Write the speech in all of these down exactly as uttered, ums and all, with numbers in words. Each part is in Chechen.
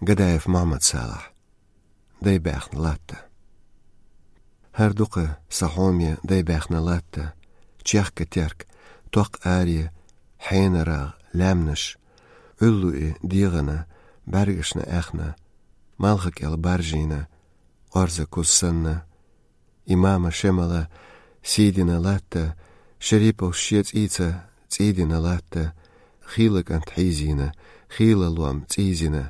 Гадаев Мухьмад-Салахь. Дай баьхна латта. ХӀара дукха са хьоме дай баьхна латта. Чехка терк, токх аре, хьенарагӀ, лаьмнаш, Ӏуьллу и дегӀана, бӀаьргашна аьхна, малха кӀел баржийна, орза куз санна, имама Шемала сийдина латта, Шериповс шен цӀийца цӀийдина латта, хийла кӀант хьийзийна, хийла лом цӀийзина,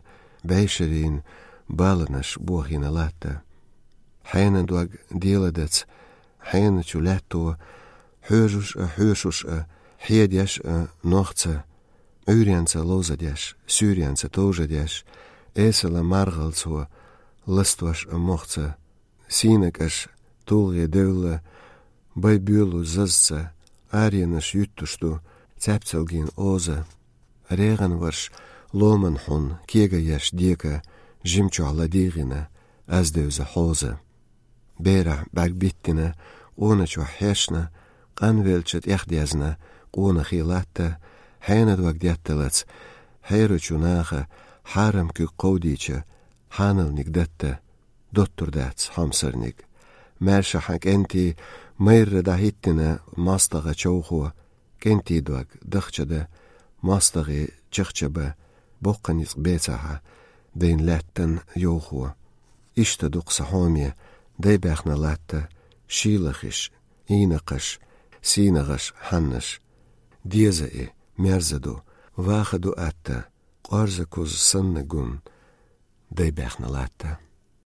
бӀешарийн баланаш бохийна латта. Хьена дог деладац, хьена чу лаьтто, хьоьжуш а, хьоьшуш а, хьедеш а нохца, Ӏуьйренца ловзадеш, суьйренца товжадеш, эсала маргӀалцо ластош а мохца, сийнакӀаш тулгӀе девлла, бай буьйлу зазца, аренаш юьттуш ду, цаьпцалгин оза. РегӀан варш ломан хьун, кега еш дека, жимчохь ладийгӀина, аз девза хьоза. Берахь бӀаьрг биттина, къона чохь хьешна, къанвелча тӀехдезна, къона хи латта, хьена дог детталац, хьерачу наха, хьарам куьг кховдийча, хьаналниг датта, доттур дац хьомсарниг. Маьрша хьан кӀентий майрра дӀахӀиттина мостагӀа човхо, кӀентий дог дахчада, мостагӀий чахчаба, боккха ницкъ бецахьа, дайн лаьттан йовхо. Иштта дукха са хьоме, дай баьхна латта, шийлахиш, Ӏийнакхаш, сийнагӀаш, хьаннаш. Деза и, мерза ду, ваха ду атта, къорза куз санна гун, дай баьхна латта.